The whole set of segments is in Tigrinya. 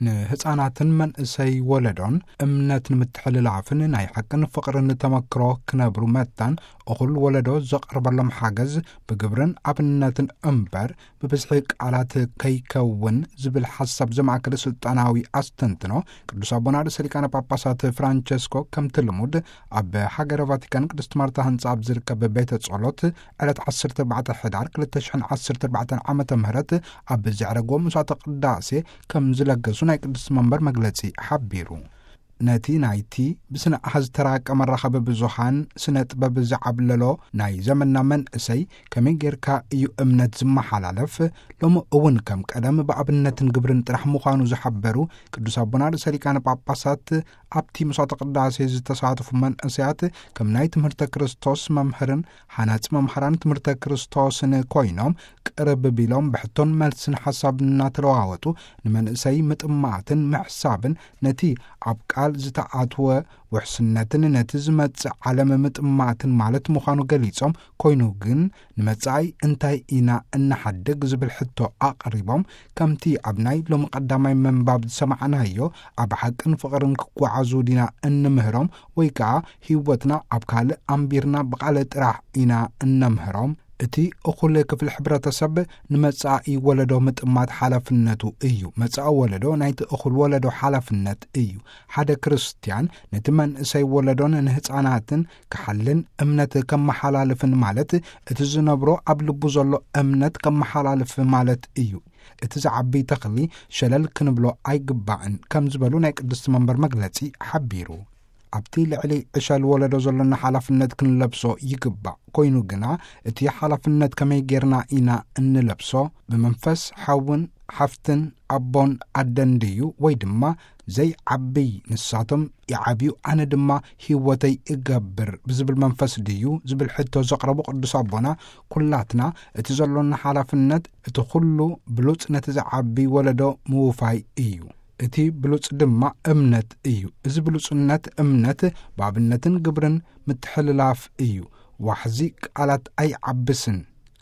ንህፃናትን መንእሰይ ወለዶን እምነት ንምትሕልላፍን ናይ ሓቅን ፍቕርን ተመክሮ ክነብሩ መታን፣ እኹል ወለዶ ዘቕርበሎም ሓገዝ ብግብርን ኣብነትን እምበር ብብዝሒ ቃላት ከይከውን ዝብል ሓሳብ ዘማእከለ ስልጣናዊ ኣስተንትኖ፣ ቅዱስ ኣቦና ርእሰ ሊቃነ ጳጳሳት ፍራንቸስኮ ከምቲ ልሙድ ኣብ ሃገረ ቫቲካን ቅድስት ማርታ ህንፃ ኣብ ዝርከብ ቤተ ጸሎት ዕለት ዓሰርተ ኣርባዕተ ሕዳር ክልተ ሽሕን ዓሰርተ ኣርባዕተን ዓመተ ምህረት ኣብ ዘዕረግዎ መስዋዕተ ቅዳሴ ከም ዝለገሱ ናይ ቅድስት መንበር መግለጺ ሓቢሩ። ነቲ ናይቲ ብስነ ኣሃዝ ተራቀ መራኸቢ ብዙሃን ስነ ጥበብ ዝዓብለሎ ናይ ዘመንና መንእሰይ ከመይ ጌርካ እዩ እምነት ዝመሓላለፍ? ሎሚ እውን ከም ቀደም ብኣብነትን ግብርን ጥራሕ ምዃኑ ዝሓበሩ ቅዱስ ኣቦና ርእሰ ሊቃነ ጳጳሳት፣ ኣብቲ መስዋዕተ ቅዳሴ ዝተሳተፉ መንእሰያት ከም ናይ ትምህርተ ክርስቶስ መምህርን ሃናጺ መምሃራን ትምህርተ ክርስቶስን ኮይኖም ቅርብ ቢሎም ብሕቶን መልስን ሓሳብ እናተለዋወጡ ንመንእሰይ ምጥማትን ምሕሳብን ነቲ ኣብ ቃል ዝተኣትወ ውሕስነትን ነቲ ዝመጽእ ዓለም ምጥማትን ማለት ምዃኑ ገሊጾም፣ ኮይኑ ግን ንመጻኢ እንታይ ኢና እንሓድግ ዝብል ሕቶ ኣቕሪቦም፣ ከምቲ ኣብ ናይ ሎሚ ቀዳማይ ምንባብ ዝሰማዕናዮ ኣብ ሓቅን ፍቕርን ክጓዓዙ ዲና እንምህሮም ወይ ከኣ ህይወትና ኣብ ካልእ ኣንቢርና ብቓል ጥራሕ ኢና እነምህሮም? እቲ እኹል ክፍሊ ሕብረተሰብ ንመጻኢ ወለዶ ምጥማት ሓላፍነቱ እዩ። መጻኢ ወለዶ ናይቲ እኹል ወለዶ ሓላፍነት እዩ። ሓደ ክርስትያን ነቲ መንእሰይ ወለዶን ንህፃናትን ክሓልን እምነት ከመሓላልፍን ማለት እቲ ዝነብሮ ኣብ ልቡ ዘሎ እምነት ከመሓላልፍ ማለት እዩ። እቲ ዝዓቢ ተኽሊ ሸለል ክንብሎ ኣይግባእን ከም ዝበሉ ናይ ቅድስቲ መንበር መግለጺ ሓቢሩ። ኣብቲ ልዕሊ ዕሸል ወለዶ ዘሎና ሓላፍነት ክንለብሶ ይግባእ። ኮይኑ ግና እቲ ሓላፍነት ከመይ ጌርና ኢና እንለብሶ? ብመንፈስ ሓውን ሓፍትን ኣቦን ኣደን ድዩ? ወይ ድማ ዘይዓብይ ንሳቶም ይዓብዩ ኣነ ድማ ህይወተይ እገብር ብዝብል መንፈስ ድዩ? ዝብል ሕቶ ዘቕረቡ ቅዱስ ኣቦና፣ ኩላትና እቲ ዘሎና ሓላፍነት እቲ ኩሉ ብሉጽ ነቲ ዝዓቢ ወለዶ ምውፋይ እዩ። እቲ ብሉጽ ድማ እምነት እዩ። እዚ ብሉጽነት እምነት ብኣብነትን ግብርን ምትሕልላፍ እዩ። ዋሕዚ ቃላት ኣይዓብስን።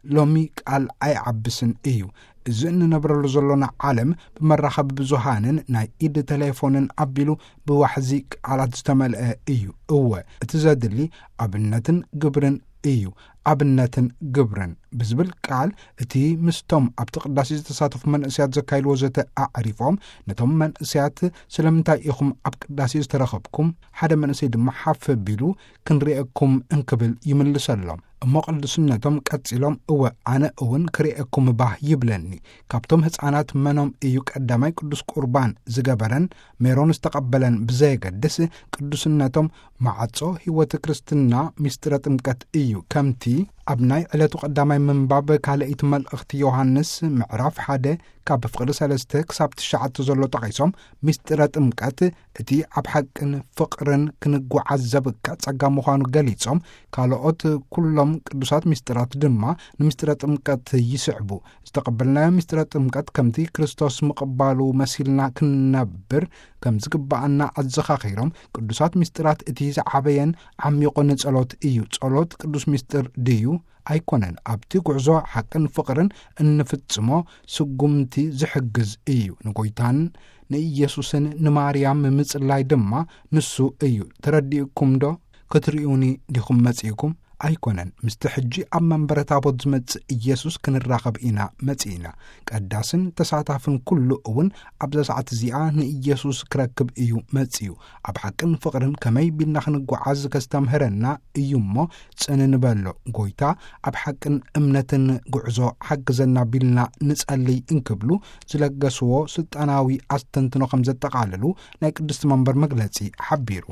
ሎሚ ቃል ኣይዓብስን እዩ። እዚ እንነብረሉ ዘሎና ዓለም ብመራኸቢ ብዙሃንን ናይ ኢድ ቴሌፎንን ኣቢሉ ብዋሕዚ ቃላት ዝተመልአ እዩ። እወ፣ እቲ ዘድሊ ኣብነትን ግብርን እዩ። ኣብነትን ግብርን ብዝብል ቃል እቲ ምስቶም ኣብቲ ቅዳሴ ዝተሳተፉ መንእሰያት ዘካይድዎ ዘተ ኣዕሪፎም፣ ነቶም መንእሰያት ስለምንታይ ኢኹም ኣብ ቅዳሴ ዝተረኸብኩም? ሓደ መንእሰይ ድማ ሓፍ ቢሉ ክንርእየኩም እንክብል ይምልሰሎም። እሞ ቅዱስነቶም ቀጺሎም፣ እወ ኣነ እውን ክርእየኩም ባህ ይብለኒ። ካብቶም ህፃናት መኖም እዩ ቀዳማይ ቅዱስ ቁርባን ዝገበረን ሜሮን ዝተቐበለን ብዘየገድስ፣ ቅዱስነቶም ማዕጾ ህይወት ክርስትና ምስጢረ ጥምቀት እዩ። ከምቲ ኣብ ናይ ዕለቱ ቀዳማይ ምንባብ ካልኣይቲ መልእኽቲ ዮሃንስ ምዕራፍ ሓደ ካብ ፍቕዲ ሰለስተ ክሳብ ትሽዓተ ዘሎ ጠቒሶም፣ ምስጢረ ጥምቀት እቲ ኣብ ሓቅን ፍቕርን ክንጓዓዝ ዘብቅዕ ጸጋ ምዃኑ ገሊጾም፣ ካልኦት ኩሎም ቅዱሳት ምስጢራት ድማ ንምስጢረ ጥምቀት ይስዕቡ። ዝተቐበልናዮ ምስጢረ ጥምቀት ከምቲ ክርስቶስ ምቕባሉ መሲልና ክንነብር ከም ዝግብኣና ኣዘኻኺሮም፣ ቅዱሳት ምስጢራት እቲ ዝዓበየን ዓሚቑን ጸሎት እዩ። ጸሎት ቅዱስ ምስጢር ድዩ? ኣይኮነን። ኣብቲ ጉዕዞ ሓቅን ፍቕርን እንፍጽሞ ስጉምቲ ዝሕግዝ እዩ። ንጎይታን ንኢየሱስን ንማርያም ምጽላይ ድማ ንሱ እዩ። ተረዲእኩም ዶ? ክትርእዩኒ ዲኹም መጺእኩም? ኣይኮነን። ምስቲ ሕጂ ኣብ መንበረ ታቦት ዝመጽእ ኢየሱስ ክንራኸብ ኢና መጺእና። ቀዳስን ተሳታፍን ኩሉ እውን ኣብዛ ሰዓት እዚኣ ንኢየሱስ ክረክብ እዩ መጺኡ። ኣብ ሓቅን ፍቕርን ከመይ ቢልና ክንጓዓዝ ከስተምህረና እዩ እሞ፣ ጽን ንበሎ። ጎይታ ኣብ ሓቅን እምነትን ጉዕዞ ሓግዘና ቢልና ንጸልይ እንክብሉ ዝለገስዎ ስልጣናዊ ኣስተንትኖ ከም ዘጠቓለሉ ናይ ቅድስቲ መንበር መግለጺ ሓቢሩ።